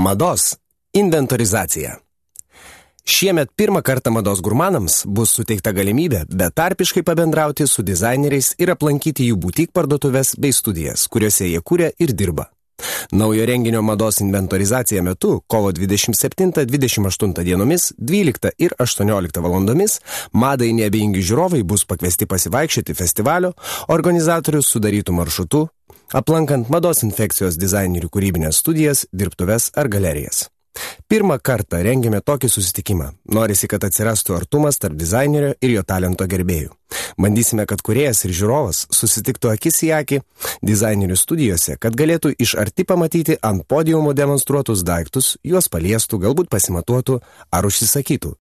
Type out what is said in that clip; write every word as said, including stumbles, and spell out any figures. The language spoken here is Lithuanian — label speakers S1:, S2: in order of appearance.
S1: Mados inventorizacija. Šiemet pirmą kartą mados gurmanams bus suteikta galimybė betarpiškai pabendrauti su dizaineriais ir aplankyti jų butik parduotuvės bei studijas, kuriuose jie kuria ir dirba. Naujo renginio mados inventorizacija metu kovo dvidešimt septintą dvidešimt aštuntą dienomis dvyliktą ir aštuonioliktą valandomis madai neabejingi žiūrovai bus pakviesti pasivaikščioti festivalio organizatorių sudarytų maršrutų, aplankant mados infekcijos dizainerių kūrybinės studijas, dirbtuves ar galerijas. Pirmą kartą rengiame tokį susitikimą. Norisi, kad atsirastų artumas tarp dizainerio ir jo talento gerbėjų. Bandysime, kad kūrėjas ir žiūrovas susitiktų akis į akį dizainerių studijose, kad galėtų iš arti pamatyti ant podiumo demonstruotus daiktus, juos paliestų, galbūt pasimatuotų ar užsisakytų.